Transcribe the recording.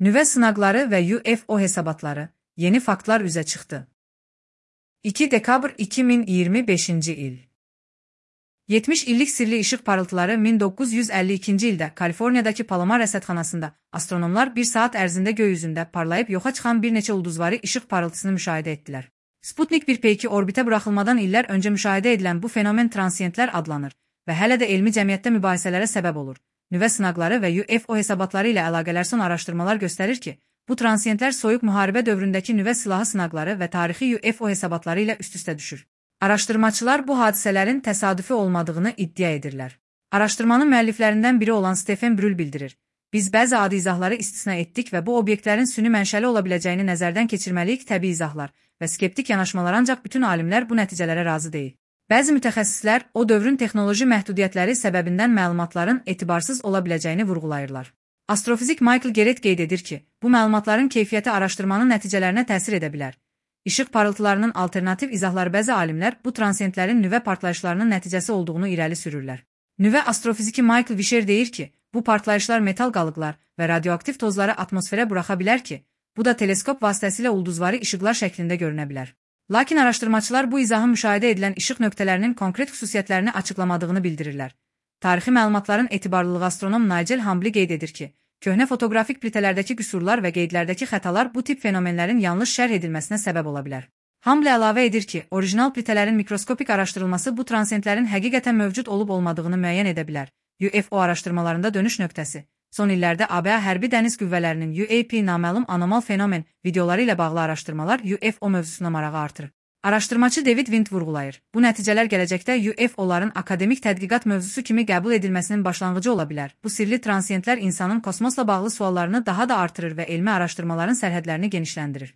Nüvə sınaqları və UFO hesabatları, yeni faktlar üzə çıxdı. 2 dekabr 2025-ci il. 70 illik sirli işıq parıltıları 1952-ci ildə Kaliforniyadakı Palomar rəsədxanasında astronomlar 1 saat ərzində göy üzündə parlayıb yoxa çıxan bir neçə ulduzvari işıq parıltısını müşahidə etdilər. Sputnik 1P2 orbitə buraxılmadan illər öncə müşahidə edilən bu fenomen transiyentlər adlanır və hələ də elmi cəmiyyətdə mübahisələrə səbəb olur. Nüvə sınaqları və UFO hesabatları ilə əlaqələr son araşdırmalar göstərir ki, bu transiyentlər soyuq müharibə dövründəki nüvə silahı sınaqları və tarixi UFO hesabatları ilə üst-üstə düşür. Araşdırmaçılar bu hadisələrin təsadüfi olmadığını iddia edirlər. Araşdırmanın müəlliflərindən biri olan Stephen Brühl bildirir. Biz bəzi adi izahları istisna etdik və bu obyektlərin süni mənşəli ola biləcəyini nəzərdən keçirməliyik təbii izahlar və skeptik yanaşmalar ancaq bütün alimlər bu nəticələrə razı deyil. Bəzi mütəxəssislər o dövrün texnoloji məhdudiyyətləri səbəbindən məlumatların etibarsız ola biləcəyini vurğulayırlar. Astrofizik Michael Gerett qeyd edir ki, bu məlumatların keyfiyyəti araşdırmanın nəticələrinə təsir edə bilər. İşıq parıltılarının alternativ izahları bəzi alimlər bu transiyentlərin nüvə partlayışlarının nəticəsi olduğunu irəli sürürlər. Nüvə astrofiziki Michael Vischer deyir ki, bu partlayışlar metal qalıqlar və radioaktiv tozları atmosferə buraxa bilər ki, bu da teleskop vasitəsilə ulduzvari işıqlar şəklində görünə bilər. Lakin araşdırmaçılar bu izahın müşahidə edilən işıq nöqtələrinin konkret xüsusiyyətlərini açıqlamadığını bildirirlər. Tarixi məlumatların etibarlılığı astronom Nigel Hambly qeyd edir ki, köhnə fotoqrafik plitələrdəki qüsurlar və qeydlərdəki xətalar bu tip fenomenlərin yanlış şərh edilməsinə səbəb ola bilər. Hambly əlavə edir ki, orijinal plitələrin mikroskopik araşdırılması bu transiyentlərin həqiqətən mövcud olub-olmadığını müəyyən edə bilər. UFO araşdırmalarında dönüş nöqtəsi. Son illərdə ABŞ hərbi dəniz qüvvələrinin UAP naməlum anomal fenomen videoları ilə bağlı araşdırmalar UFO mövzusuna marağı artırır. Araşdırmaçı David Wind vurğulayır. Bu nəticələr gələcəkdə UFO-ların akademik tədqiqat mövzusu kimi qəbul edilməsinin başlanğıcı ola bilər. Bu sirli transiyentlər insanın kosmosla bağlı suallarını daha da artırır və elmi araşdırmaların sərhədlərini genişləndirir.